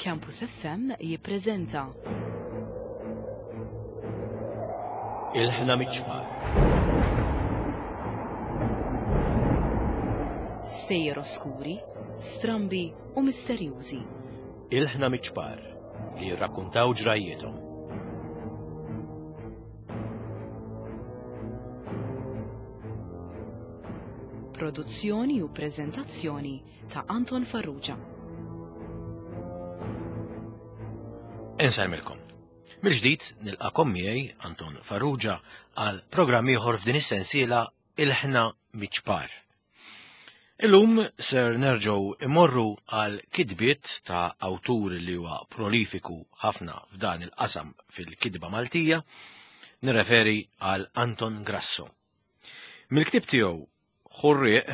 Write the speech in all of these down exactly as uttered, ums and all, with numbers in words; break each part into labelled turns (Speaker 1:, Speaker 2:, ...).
Speaker 1: Campus F M jippreżenta
Speaker 2: Ilħna Miċ-Ċpar.
Speaker 1: Stejjer oskuri, strambi u misterjużi.
Speaker 2: Ilħna Miċ-Ċpar li jirrakkuntaw ġrajjietom.
Speaker 1: Produzzjoni u preżentazzjoni ta' Anton Farrugia.
Speaker 2: Insellmilkom. Mill-ġdid nilqakom miegħi Anton Farrugia għal programm ieħor f'din is-sensiela Ilħna Miċ-Ċpar. Illum ser nerġgħu imorru għal kitbiet ta' awtur li huwa prolifiku ħafna f'dan il-qasam fil-kitba Maltija, nirreferi għal Anton Grasso. Mill-ktib tiegħu Ħurrieq,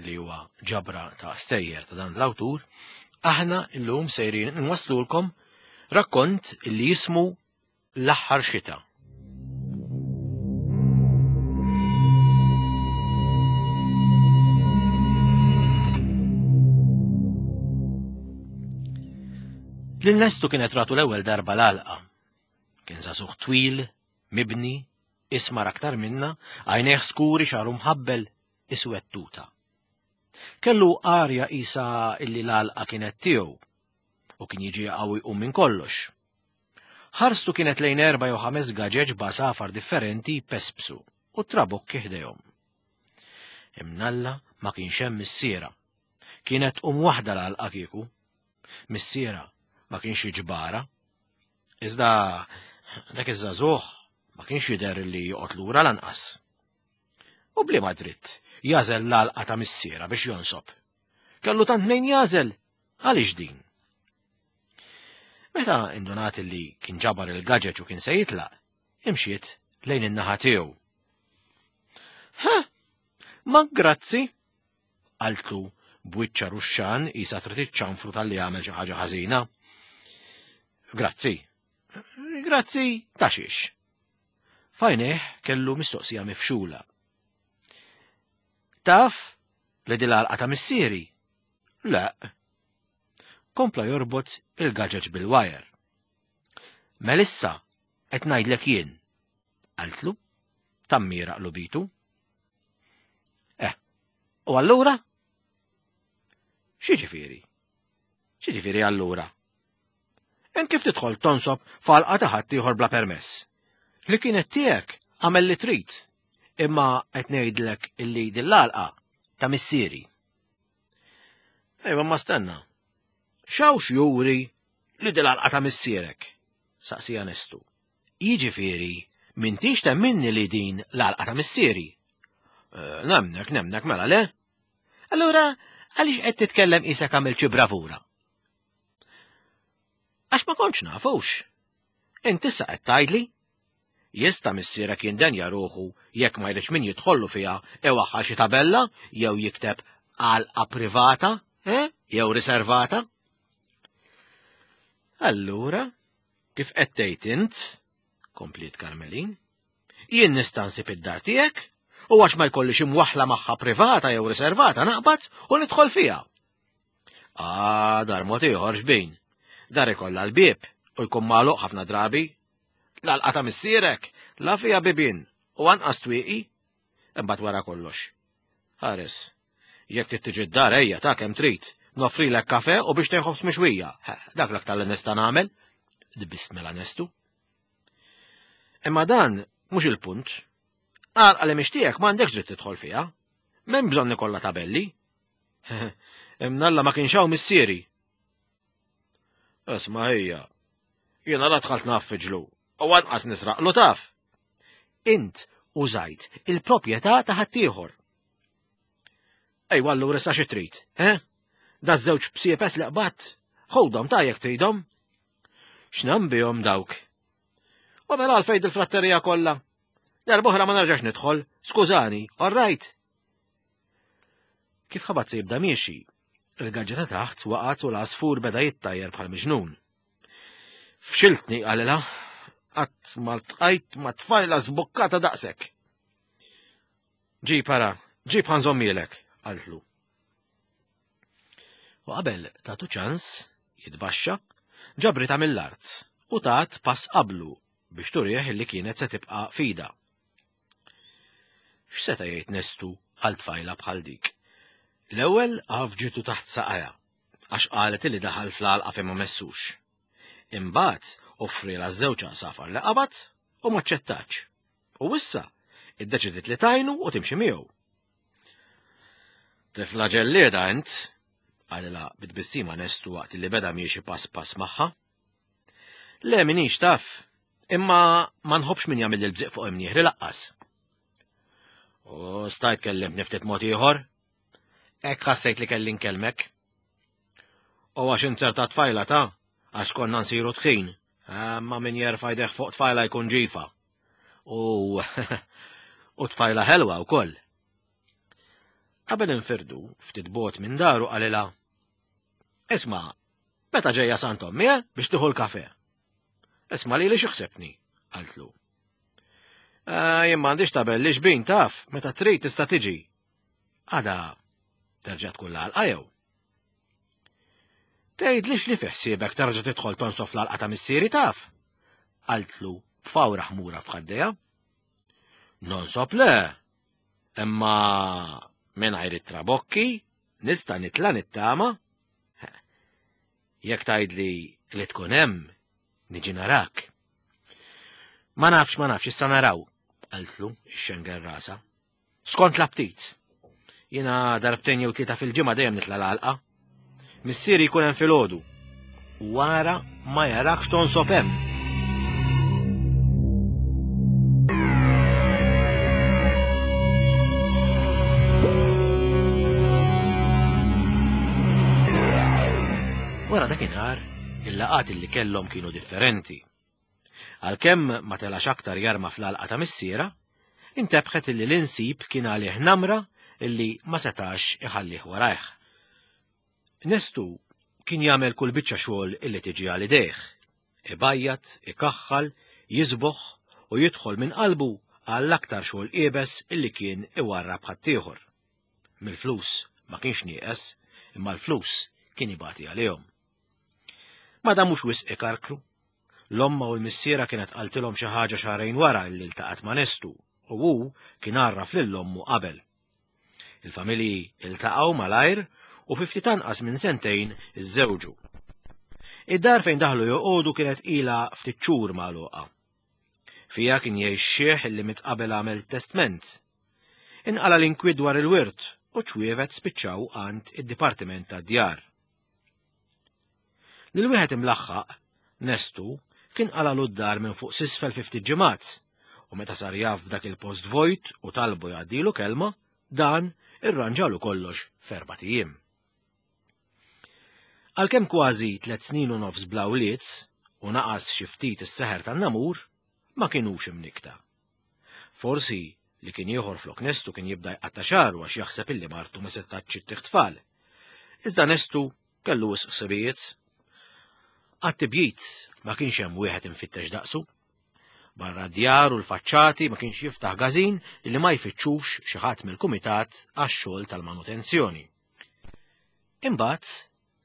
Speaker 2: li huwa ġabra ta' stejjer ta' dan l-awtur, aħna illum sejrin nwaslulkom rakkont li jismu L-Aħħar Xita. Lil Nestu kienet ratu l-ewwel darba l-għalqa. Kien żagħżugħ twil, mibni, ismar aktar minna, għajnejh skuri xagħru mħabbel, iswed tuta. Kellu arja isa illi l-għalqa kienet tiegħu u kien jiġi qawwi jqum minn kollox. Ħarstu kienet lejn erba' jew ħames gaġeġ b'għasafar differenti jpespsu u trabokki ħdejhom. Imnalla ma kienx hemm missiera. Kienet tqum waħda l-għalqa kieku. Missiera ma kienx jiġbara. Iżda dak iż-żagħżugħ ma kienx jidher li joqgħod lura lanqas. U bliema dritt jażel l-għalqa ta' missiera biex jonsob. Kellu tant mejn jażel, għaliex din? Meta indunat li kien ġabar il-gaġeġ u kien se jitlaq, imxiet lejn in-naħa tiegħu. Ha! Ma grazzi! Qaltlu b'wiċċa ruxxan isa trid iċċanfru tal-li għamel xi ħaġa ħażina. Grazzi. Grazzi ta' xiex. Fajneh kellu mistoqsija mifxula. Taf li din l-għalqa ta' missieri? Le. Kompla jorbot il-gaġeġ bil-wajer. Melissa, qed ngħidlek jien. Qaltlu, tammira qlubitu. Eh, u allura? X'jiġifieri? X'jiġifieri allura? Int kif tidħol tonsob f'għalqa ta' ħaddieħor bla permess? Li kienet tiegħek għamel li trid, imma qed ngħidlek illi din l-għalqa ta' missieri. Ejwa, ma stenna. X'hawnx juri li din l-għalqa ta' missierek? Saqsija Nestu. Jiġifieri, m'intix temminni li din l-għalqa ta' missieri? Eh, nemnek, nemnek, mela le? Allura, għaliex qed titkellem qisek għamilt xi bravura? Għax ma kontx nafux. Inti issa qed tgħidli? Jista' missierek jindenja ruħu jekk ma jridx min jidħollu fiha iwaħħal xi tabella jew jikteb għalqa privata, eh? Jew riservata? Allura, kif qed tgħid int, kompliet Karmelin, jien nista' nsib id-dar tiegħek u għax ma jkollix imwaħħla magħha privata jew riservata naqbad u nidħol fiha. Ah, dar mod ieħor xbin. Dar ikollha l-bieb u jkun magħluq ħafna drabi. L-għalqa ta' missierek la fiha bibien u anqas twieqi, imbagħad wara kollox. Ħares, jekk trid tiġi d-dar ejja ta' kemm trid, noffrilek kafe u biex tieħu ħobż mixwija. Ha, dak l-aktar li nista' nagħmel, dbist mela Nestu. Imma dan mhux il-punt. Għalqa li mhix tiegħek m'għandekx dritt tidħol fiha. M'hemm bżonn ikollha tabelli. Imnalla ma kienx hawn missieri. Isma' ejja, jiena la dħalt naffiġlu u anqas nisraqlu taf. Int użajt il-proprjetà ta' ħaddieħor. Ejwa allura issa xi trid, eh? Da żewġ bsiepes li qbadt, ħudhom ta' jekk tridhom. X'nam bihom dawk? U mela għalfejn il-fratterija kollha. Darb'oħra ma nerġax nidħol, skużani, all right. Kif ħabat se jibda miexi, il-gaġġa ta' taħt waqgħet u l-għasfur beda jittajjer bħal miġnun. Fxiltni, qalilha, qatt ma ltqajt ma tfajla żbukkata daqshekk. Ġib ara, ġib ħanżommielek, qaltlu. U qabel tagħtu ċans jitbaxxa, Ġabritha mill-art u tat pass qablu biex turih li kienet se tibqa' fida. X'seta' jgħid Nestu għal tfajla bħal dik? L-ewwel għafġitu taħt saqajha għax qalet li daħal fl-għalqa fejn ma messux. Imbagħad offrielha żewġ għasafar li qabad u ma ċċettax. U issa iddeċidiet li tajnu u timxi miegħu. Tifla ġellieda int, qalilha bitbissima Nestu waqt li beda miexi pass pass magħha. Le minix taf, imma ma nħobbx min jagħmel il-bżiq fuq imnieħri laqqas. U stajt kellimtni ftit mod ieħor? Hekk ħassejt li kelli nkellmek. U għax inzerta tfajla ta' għax konna nsiru tħin, ma min jerfa' jdejh fuq tfajla jkun ġifa. U u tfajla ħelwa wkoll. Qabel infirdu, ftit bot minn daru qalilha: Isma', meta ġejja Sant Ommi, eh, biex tieħu l-kafe? Isma' lili xi ħsebtni, qaltlu. Eh, jien m'għandix tabelli xbin taf, meta trid tista' tiġi. Għada terġa' tkun l-għalqa jew? Tgħidlix li fi ħsiebek terġa' tidħol tonsof l-għalqa ta' missieri taf? Qaltlu b'fawra ħmura f'ħaddejha. Nonsob le, imma mingħajr it-trabokki nista' nitla' nittama. Jekk tgħidli li tkun hemm, niġi narak. Ma nafx, ma nafx, issa naraw, qaltlu ix-xengel rasa. Skont l-aptit. Jiena darbtejn jew tlieta fil-ġimgħa dejjem nitla' l-għalqa. Missieri jkun hemm filgħodu. U wara ma jarakx tonsob hemm. Wara dakinhar, il-laqgħat li kellhom kienu differenti. Għalkemm ma telax aktar jarma fl-għalqa ta' missiera, intebħet illi l-insib kien għalih namra illi ma setax iħallih warajh. Nestu kien jagħmel kull biċċa xogħol illi tiġi għal idejh. Ibajjat, ikaħħal, jiżboħ u jidħol minn qalbu għall aktar xogħol iebes illi kien iwarrab ħaddieħor. Mill-flus ma kienx nieqes, imma l-flus kien ibati għalihom. Ma damux wisq ikarkru. L-omma u l-missiera kienet qaltilhom xi ħaġa xahrejn wara illi ltaqgħet ma' Nestu u hu kien għarraf lil ommu qabel. Il-familji iltaqgħu malajr u fi ftit anqas minn sentejn iżżewġu. Id-dar fejn daħlu joqogħdu kienet ilha ftit xhur magħluqa. Fiha kien jgħix xieħ illi miet qabel għamel testment. Inqala l-inkwiet dwar il-wirt u ċwievet spiċċaw għand id-Dipartiment tad-Djar. Lil wieħed imlaħħaq, Nestu, kien qalalu d-dar minn fuq s'isfel fi ftit ġimgħat, u meta sar jaf b'dak il-post vojt u talbu jgħaddilu kelma, dan irranġalu kollox f'erbat ijiem. Għalkemm kważi tliet snin u nofs bla wlied u naqas xi ftit is-seħer tan-namur, ma kinux imnikta. Forsi li kien ieħor flok Nestu kien jibda jqatta' xagħru għax jaħseb illi martu ma setgħetx ittih tfal. Iżda Nestu kellu wisq ħsibijiet. Għat-tibjid ma kienx hemm wieħed infittex daqsu. Barra d-djar u l-faċċati ma kienx jiftaħ gażin li ma jfittxux xi ħadd mill-kumitat għax-xogħol tal-manutenzjoni. Imbagħad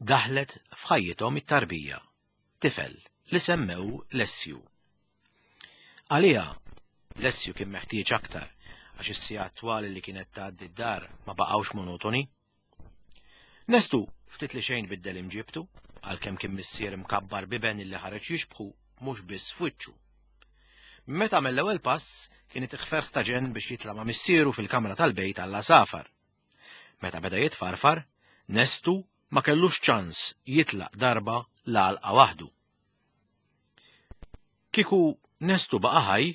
Speaker 2: daħlet f'ħajjithom it-tarbija, tifel li semmew Lessju. Għaliha Lessju kien meħtieġ aktar għax is-sigħat twal li kienet tgħaddi d-dar ma baqgħux monotoni. Nestu ftit li xejn biddel imġibtu, għalkemm kien missier imkabbar biben illi ħareġ jixbħu mhux biss f'wiċċu. Meta għamel l-ewwel pass kien itih ferħ ta' ġenn biex jitla' ma' missieru fil-kamra tal-bejt għall-għasafar. Meta beda jitfarfar, Nestu ma kellux ċans jitlaq darba l-għalqa waħdu. Kieku Nestu baqa' ħaj,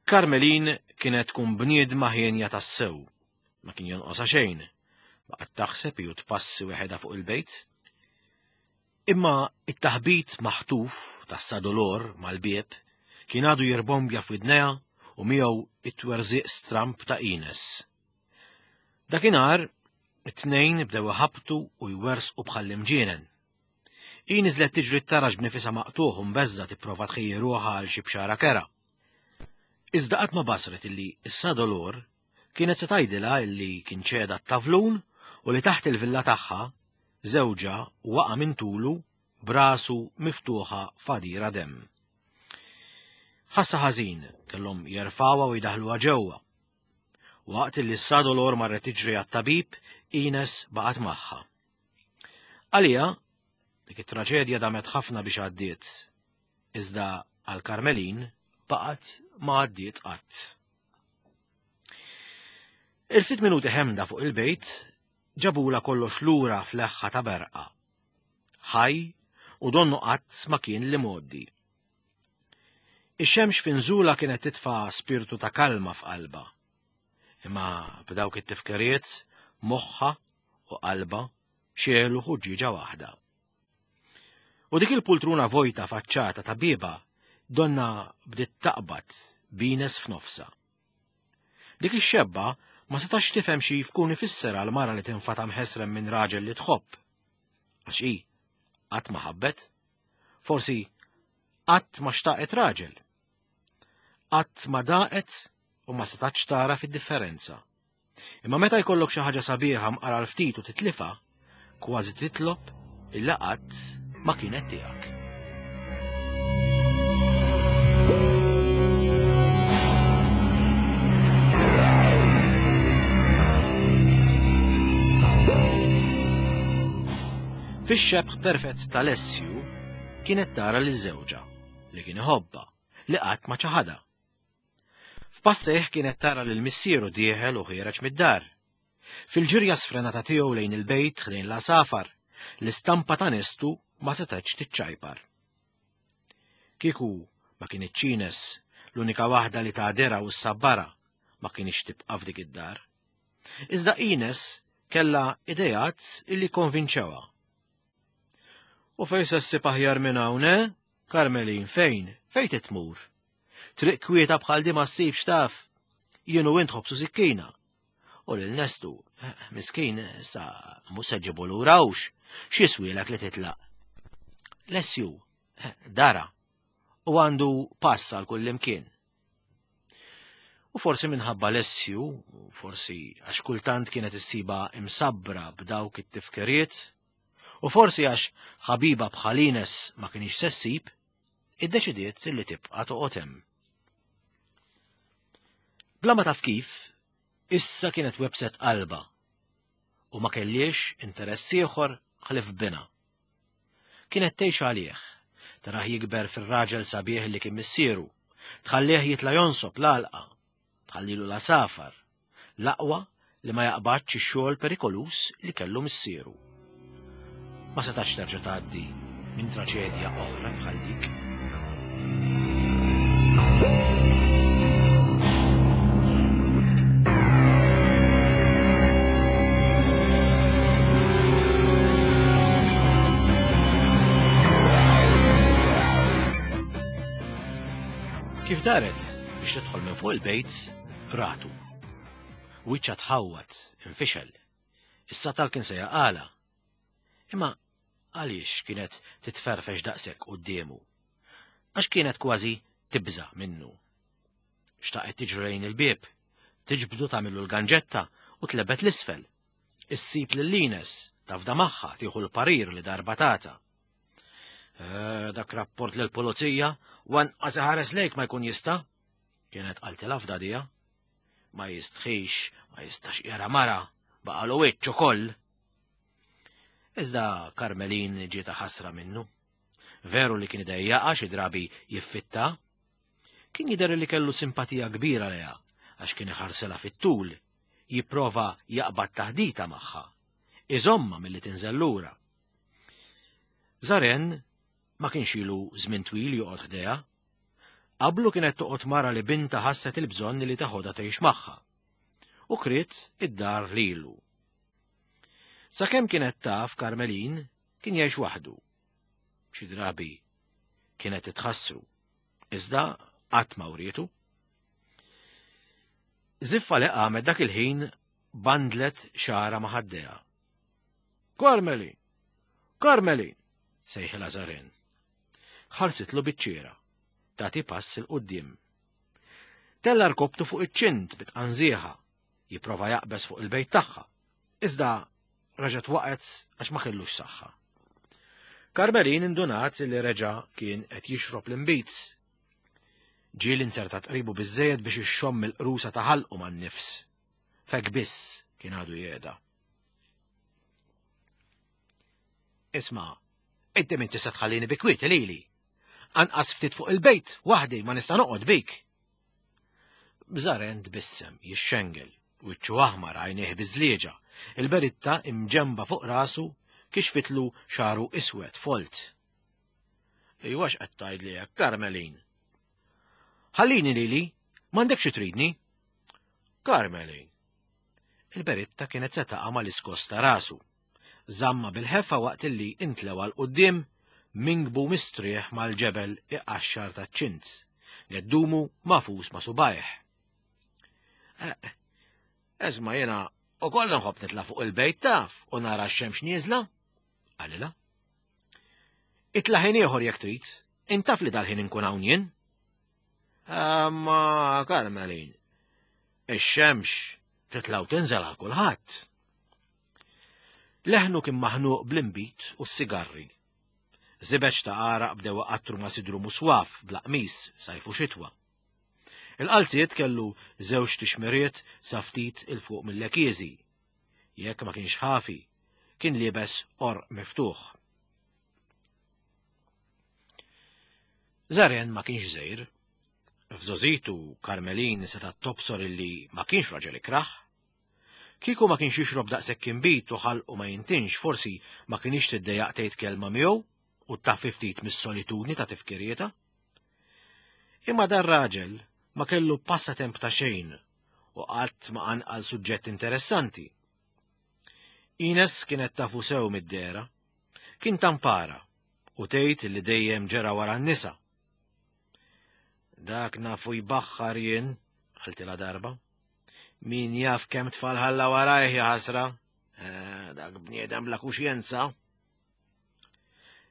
Speaker 2: Carmelin kienet tkun bniedma ħienja tassew, ma kien jonqosha xejn, baqgħet taħseb jew tpassi weħedha fuq il-bejt. Imma it-taħbit maħtuf tas-sadolor mal-bieb kien għadu jirbombja f'widnejha u miegħu it-twerżiq stramp ta' Ines. Dakinhar it-tnejn bdew iħabtu u jwersqu bħall-imġienen. Hi niżlet tiġri t-taraġ b'nifisha maqtuħ u mbeżża tipprova tħejji ruħha għal xi bxara kera. Iżda qatt ma basret illi s-sadolor kienet se tgħidilha illi kien ċeda t-tavlun u li taħt il-villa tagħha żewġha waqa' minn tulu Brasu miftuħa fadira demm. Ħassa ħażin kellhom jerfgħuha u jdaħluha ġewwa. Waqt li s Dolor marret tiġri għat-tabib, Ines baqgħet magħha. Għalija, dik it-traġedja damet ħafna biex għaddiet. Iżda għal Karmelin baqgħet ma għaddiet qatt. Il-ftit minuti ħemda fuq il-bejt ġabula kollox lura fl-eħħa ta' berqa. Ħaj u donnu qatt ma kien li moddi. Ix-xemx finżula kienet titfa' spirtu ta' kalma f'qalba. Imma b'dawk it-tifkiriet moħħa u qalba xelu ħuġġieġa waħda. U dik il-pultruna vojta faċċata ta' bieba donna bdiet taqbad b'Ines f'nofsa. Dik ix-xebba ma setax tifhem xi jkun ifisser għal mara li tinfata mħesrem minn raġel li tħobb. Għax hi qatt ma ħabbet, forsi qatt ma xtaqet raġel. Qatt ma daqet u ma setax tara fid-differenza. Imma meta jkollok xi ħaġa sabiħa mqara l-ftit u titlifa, kważi titlob illa qatt ma kienet tiegħek. Fix-xebħ perfett tal-Essju kienet tara lil żewġha li kien iħobbha li qatt ma ċaħadha. F'passejh kienet tara lil missieru dieħel u ħiereġ mid-dar. Fil-ġirja sfrenata tiegħu lejn il-bejt lejn l-għasafar, l-istampa ta' Nestu ma setgħetx tiċċajpar. Kieku ma kinitx Ines l-unika waħda li tagħdera u s-sabbara ma kienx tibqa' f'dik id-dar. Iżda Ines kellha idejat illi konvinċewha. U fejn se ssib aħjar minn hawn, eh? Karmelin, fejn? Fejn titmur? Triq kwieta bħal di ma ssibx taf. Jien u int ħobsu sikkina. U lil Nestu, miskin, sa mhux se ġibu lura hux. X'jiswielek li titlaq? Lessju, dara, u għandu pass għal kullimkien. U forsi minħabba Lessju, u forsi għax kultant kienet issiba imsabbra b'dawk it-tifkiriet, u forsi għax ħabiba bħal Ines ma kienx se ssib, iddeċidiet li tibqa' toqgħod hemm. Bla ma taf kif, issa kienet webset qalba u ma kellix interess ieħor ħlief bina. Kienet tgħix għalih, tarah jikber fir-raġel sabiħ li kien missieru, tħallih jitla' jonsob l-għalqa, tħallilu l-għasafar, l-aqwa li ma jaqbadx ix-xogħol perikolus li kellu missieru. Ma setax terġa' tgħaddi minn traġedja oħra bħal dik. Kif daret biex tidħol minn fuq il-bejt, ratu. Wiċċha tħawwad, infixel. Is-satal kien se jaqala. Imma għaliex kienet titferfex daqshekk quddiemu? Għax kienet kważi tibża' minnu. Xtaqet tiġri lejn il-bieb, tiġbdu tagħmillu l-ganġetta u tlebet l-isfel. Issib lil Ines, tafda magħha tieħu l-parir li darba tata. Eh, dak rapport lill-pulizija wanqas iħares lejk ma jkun jista'. Kienet qaltilha f'dadija. Ma jistħix, ma jistax jara mara, baqalu wiċċ ukoll. Iżda Karmelin ġietha ħasra minnu. Veru li kien idejjaqa xi drabi jiffitta. Kien jidher li kellu simpatija kbira lejha għax kien iħarselha fit-tul, jipprova jaqbad taħdita magħha, iżomma milli tinżel lura. Zaren ma kienx ilu żmien twil joqgħod ħdejha. Qablu kienet toqgħod mara li binta ħasset il-bżonn li taħodha tgħix magħha. U kriet id-dar lilu. Sakemm kienet taf Karmelin kien jgħix waħdu. Xi drabi kienet titħassru, iżda qatt ma wrietu. Ziffa li qamet dak il-ħin bandlet xara ma' ħaddejha. Karmelin! Karmelin! Sejħilha Zaren. Ħarsitlu biċ-ċiera, tagħti pass il quddiem. Tella rkobtu fuq iċ-ċint bitqanżieħa, jipprova jaqbeż fuq il-bejt tagħha. Iżda raġgħet waqgħet għax ma kellux saħħa. Karmelin indunat li reġa' kien qed jixrob l-inbid. Ġieli inzertat qribu biżżejjed biex ixxomm il-qrusa ta' ħalqu man-nifs. Fek biss kien għadu jgħeda. Isma', inti min tista' tħallini bi kwieti lili. Anqas ftit fuq il-bejt waħdi ma nista' noqgħod bik. Bżaren tbissem, jixxengel, wiċċu aħmar għajnejh biżlieġa, il-beritta imġemba fuq rasu kixfitlu xaru iswed folt. Iwa x'qed tgħidli hekk, Karmelin? Ħallini lili, m'għandekx xi tridni. Karmelin. Il-beritta kienet se taqa' mal-iskos ta' rasu. Żamma bil-ħeffa waqt illi intlewa 'l quddiem mingbu mistrieħ mal-ġebel iqaxxar taċ-ċint, geddumu magħfus ma' subajh. Esma' jiena ukoll nħobb nitla' fuq il-bejt taf u nara x-xemx nieżla, qalilha. Itla' ħin ieħor jekk trid, intaf li dal-ħin inkun hawn jien. Ma Karmelin, ix-xemx titla' u tinżel għal kulħadd. Leħnu kien maħnuq bl-inbid u s-sigarri. Żibeġ ta' għaraq bdew iqattru ma' sidru muswaf bla qmis sajf u xitwa. Il-qalziet kellu żewġ tixmiriet sa ftit il fuq mill-lekieżi. Jekk ma kienx ħafi, kien liebes qorq miftuħ. Żaren ma kienx żgħir. F'żożitu Karmelin setgħet tobsor illi ma kienx raġel ikrah. Kieku ma kienx jixrob daqshekk inbid u ħalqu ma jintinx, forsi ma kienx tiddejjaq tgħid kelma miegħu u taffi ftit mis-solitudni ta' tifkirieta. Imma dar raġel ma kellu passatemp ta' xejn u qatt ma qanqal suġġett interessanti. Ines kienet tafu sew mid-dera, kien tampara u tgħid li dejjem ġera wara n-nisa. Dak nafu jbaħħar jien, qaltilha darba. Min jaf kemm tfal ħalla warajh ja ħasra, eh, dak bniedem bla kuxjenza.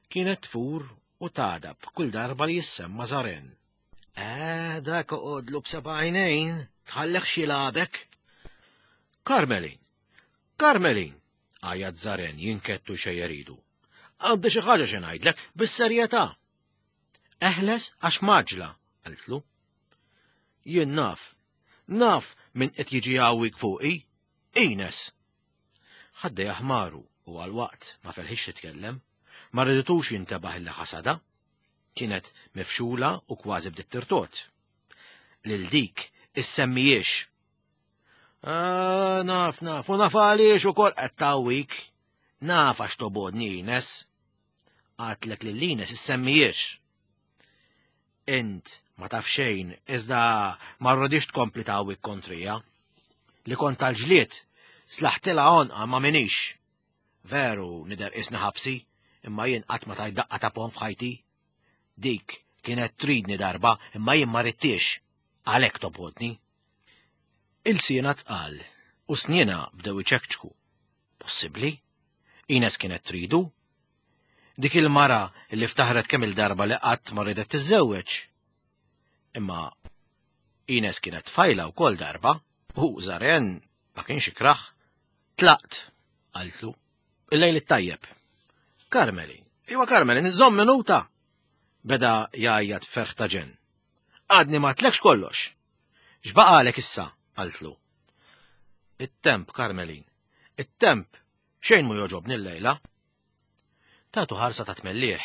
Speaker 2: Kienet tfur u tagħdab kull darba li jissemma Żaren. Eh, dak oqgħodlu b'seba' għajnejn, tħallek xi lagħbek. Karmelin, Karmelin, għajat Żaren jinkettu xejjer idu. Għandi xi ħaġa xi ngħidlek bis-serjetà. Eħles għax maġla, qaltlu. Jien naf, naf min qed jiġi jgħawwik fuqi, Ines. Ħaddejha ħmaru u għal-waqt ma felħix titkellem, ma riditux jintebaħ illi ħasada. Kienet mifxula u kważi bdiet tirtot. Lil dik issemmijiex. Ah, naf, naf, u naf għaliex ukoll qed tgħawwik. Naf għax tobodni Ines. Għatlek lil Ines issemmijiex. Int ma taf xejn, iżda ma rridix tkompli tgħawwik kontrija. Li kont tal-ġlied, slaħtilha għonqa ma minix. Veru nidher qisni ħabsi, imma jien qatt ma tajt daqqa ta' pon f'ħajti. Dik kienet tridni darba, imma jien ma ridtix, għalhekk tobodni. Il-siena tqal u sniena bdew iċekċku. Possibbli? Ines kienet tridu? Dik il-mara li ftaħret kemm il-darba li qatt ma ridet tiżżewweġ. Imma Ines kienet tfajla wkoll darba, u Żaren ma kienx ikrah. Tlaqt, qaltlu. Il-lejl it-tajjeb. Karmelin, iwa Karmelin, żomm minuta. Beda jgħajjat ferħ ta' ġenn. Għadni ma tlekx kollox. X'baqalek issa, qaltlu. It-temp, Karmelin, it-temp, xejn mu joġobni l-lejla. Tatu ħarsa ta' tmellieħ.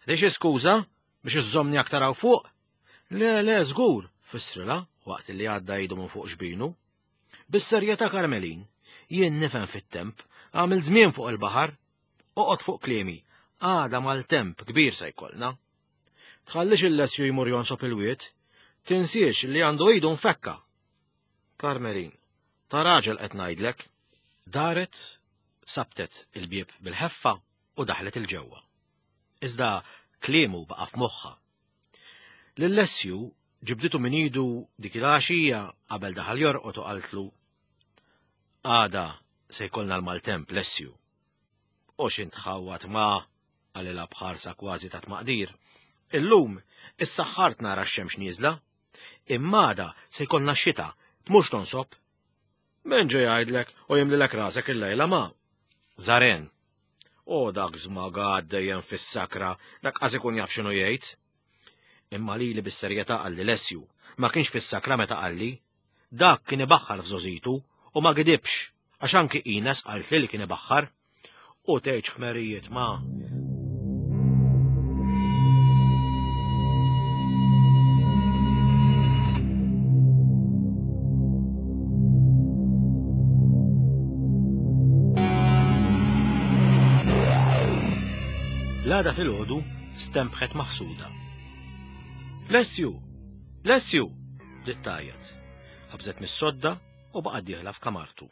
Speaker 2: Di xi skuża biex iżżommni aktar hawn fuq? Le, le, żgur, fissrilha waqt li għadda idu minn fuq xbinu. Bis-serjetà Karmelin, jien nifhem fit-temp, għamil żmien fuq il-baħar, oqgħod fuq kliemi, għada mal-temp kbir se jkollna. Tħallix il-Lessju jmur jonsob il-wied, tinsiex li għandu idu nfekka. Karmelin, ta' raġel qed ngħidlek. Daret, sabtet il-bieb bil-ħeffa u daħlet il-ġewwa. Iżda kliemu baqa' f'moħħha. Lil-Lessju ġibditu minn idu dik il-għaxija qabel daħal jorqod u qaltlu: Għada se jkollna l-maltemp, Lessju. U x'int tħawwad ma, qalilha b'ħarsa kważi ta' tmaqdir. Illum issaħħart nara x-xemx nieżla. Imma għada se jkollna x-xita, tmurx tonsob. Min ġej jgħidlek u jimlilek rasek il-lejla ma? Żaren. O dak żmagat dejjem fis-sakra, dak qas ikun jaf x'inhu jgħid. Imma lili bis-serjetà qalli Lessju, ma kienx fis-sakra meta qalli. Dak kien ibaħħar f'żożitu u ma gidibx, għax anki Ines qaltli li kien ibaħħar. U tgħidx ħmerijiet ma. L-għada filgħodu stempħet maħsuda. Lessju! Lessju! Bdiet tgħajjat. Qabżet mis-sodda u baqgħet dieħla f'kamartu.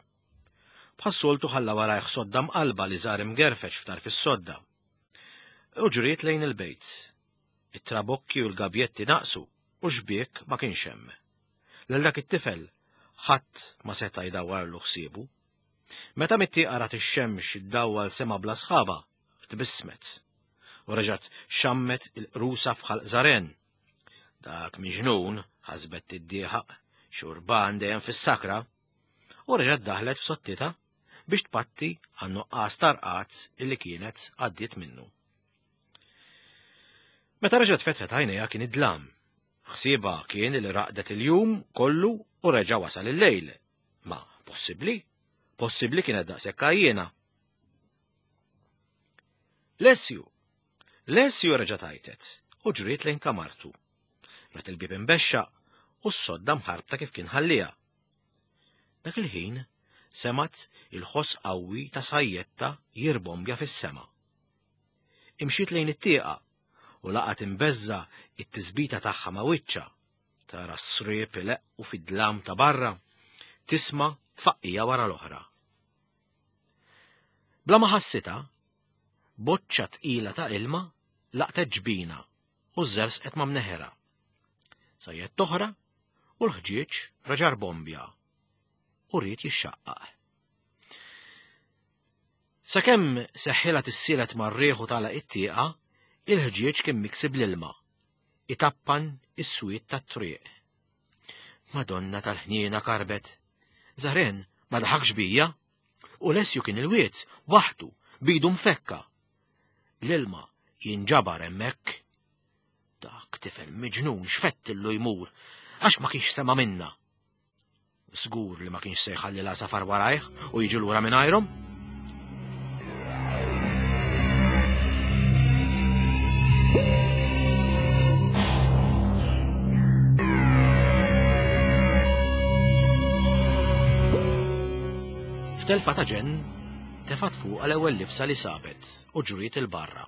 Speaker 2: Bħas-soltu ħalla warajh sodda mqalba li żar imgerfex f'tarf is-sodda. U ġriet lejn il-bejt. It-trabokki u l-gabjetti naqsu u xbiek ma kienx hemm. Lil dak it-tifel ħadd ma seta' jdawwarlu ħsiebu. Meta mit-tieqa rat ix-xemx iddawwal sema bla sħaba, tbissmet. U reġgħet xammet il-qrusa f'ħalq Żaren. Dak miġnun, ħasbet tiddieħaq, xurban dejjem fis-sakra, u reġgħet daħlet f'sottitha biex tpatti għan-nuqqas tarqat illi kienet għaddiet minnu. Meta reġgħet fetħet għajnejha kien id-dlam. Ħsiebha kien li raqdet il-jum kollu u reġa' wasal il-lejl. Ma possibbli? Possibbli kienet daqshekk għajjiena. Lessju! Lessju reġa' tajtet u ġriet lejn kamartu. Rat il-bieb imbexxaq u s-sodda mħarbta kif kien ħallija. Dak il-ħin semat il-ħoss qawwi ta' sajjetta jirbombja fis-sema. Imxiet lejn it-tieqa u laqat imbeżża it-tisbita tagħha ma' wiċċha. Tara s-sriep ileqqu fid-dlam ta' barra, tisma' tfaqqija wara l-oħra. Bla ma ħassitha, boċċa tqila ta' ilma laqtet ġbina u żersqet ma' mneħera. Sajjet toħra u l-ħġieġ reġa' rbombja u ried jixxaqqaq. Sakemm seħħilha tissielet mar-riħ u tagħlaq it-tieqa, il-ħġieġ kien miksi bl-ilma, itappan is-swied tat-triq. Madonna tal-ħniena karbet. Żaren ma daħakx bija. U Lessju kien il-wied, waħdu, bidu mfekka. L-ilma jinġabar hemmhekk. Dak tifel miġnun x'fettillu jmur, għax ma kienx sema minna. Żgur li ma kienx se jħalli l-għasafar warajh u jiġi lura mingħajrhom. F'telfa ta' ġenn, tefgħet fuqha l-ewwel libsa li sabet u ġriet il-barra.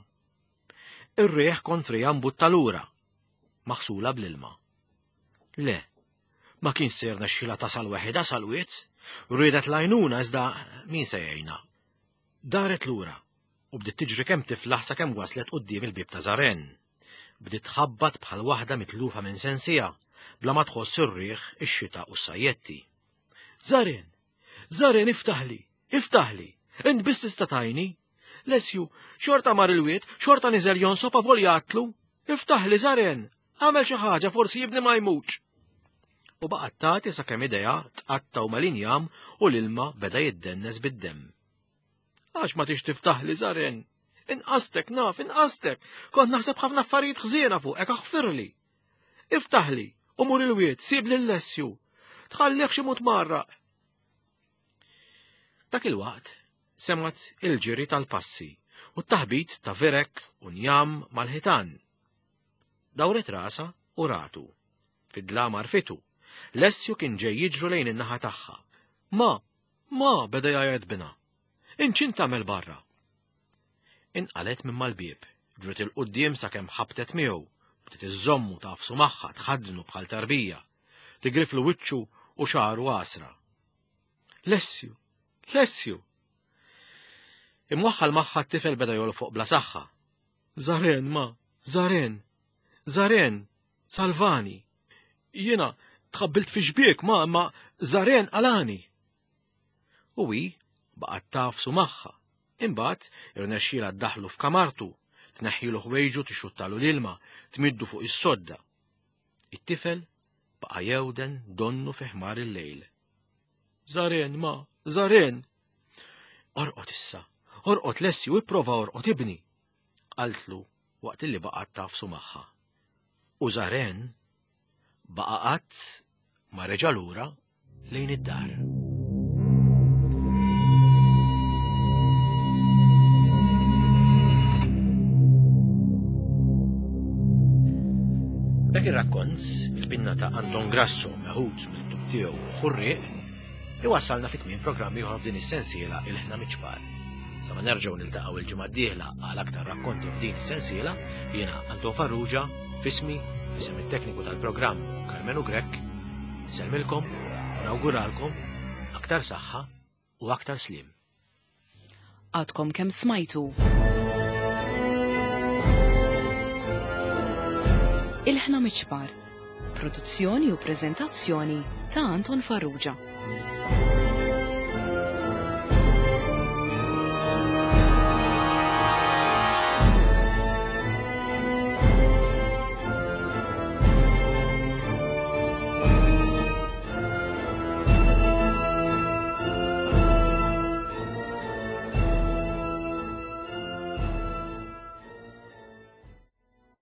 Speaker 2: Ir-riħ kontrija mbutta lura, maħsula bl-ilma. Le, ma kien se jirnexxilha tasal weħidha sal-wied, riedet l-għajnuna iżda min se jgħinha. Daret lura u bdiet tiġri kemm tiflaħ sakemm waslet quddiem il-bieb ta' Żaren. Bdiet tħabbat bħal waħda mitlufa minn sensija, bla ma tħoss ir-riħ, ix-xita u s-sajjetti. Żaren! Żaren iftaħli! Iftaħli! Int biss tista' tgħinni! Lessju, xorta mar il-wied, xorta niżel jonsob avolja għatlu. Iftaħli Żaren! Għamel xi ħaġa forsi jibni ma jmutx. U baqgħet tagħti sakemm idejha tqattgħu mal-injam u l-ilma beda jiddennes bid-demm. Għax ma tix tiftaħli Żaren? Inqastek naf, inqastek! Kont naħseb ħafna affarijiet ħżiena fuqek, aħfirli! Iftaħli u mur il-wied, sib lil Lessju. Tħallihx imut marraq. Dak il-waqt semgħet il-ġiri tal-passi u t-taħbit ta' virek u njam mal-ħitan. Dawret rasha u ratu. Fid-dlam għarfitu. Lessju kien ġej jiġru lejn in-naħa tagħha. Ma, ma, beda jgħajjat bina. Int x'int tagħmel barra? Inqalet minn mal-bieb, ġriet il-quddiem sakemm ħabtet miegħu, bdiet iżżommu tafsu magħha tħaddnu bħal tarbija, tigriflu wiċċu u xagħru għasra. Lessju, Lessju! Imwaħħal magħha t-tifel beda jolfoq bla saħħa. Żaren, ma, Żaren, Żaren, salvani. Jiena tħabbilt fi xbiek, ma, ma, Żaren qalani. U hi baqgħet tafsu magħha. Imbagħad irnexxielha ddaħlu f'kamartu, tneħħilu ħwejġu tixxuttalu l-ilma, tmiddu fuq is-sodda. It-tifel baqa' jewden donnu fi ħmar il-lejl. Żaren, ma, Żaren! Orqod issa, Orqod Lessju, ipprova orqod ibni, qaltlu waqt li baqgħet tagħfsu magħha. U Zaren baqa' qatt ma reġa' lura lejn id-dar. Dak ir-rakkont, il-pinna ta' Anton Grasso meħud mill-ktub tiegħu Ħurrieq, iwassalna fi tmiem programm ieħor f'din is-sensiela Ilħna Miċ-Ċpar. Sa ma nerġgħu niltaqgħu il-ġimgħa d-dieħla għal aktar rakkonti f'din is-sensiela, jiena Anton Farrugia, f'ismi, f'isem it-tekniku tal-programm Karmenu Grech, insellmilkom u nawguralkom aktar saħħa u aktar sliem.
Speaker 1: Għadkom kemm smajtu. Ilħna Miċ-Ċpar, produzzjoni u preżentazzjoni ta' Anton Farrugia.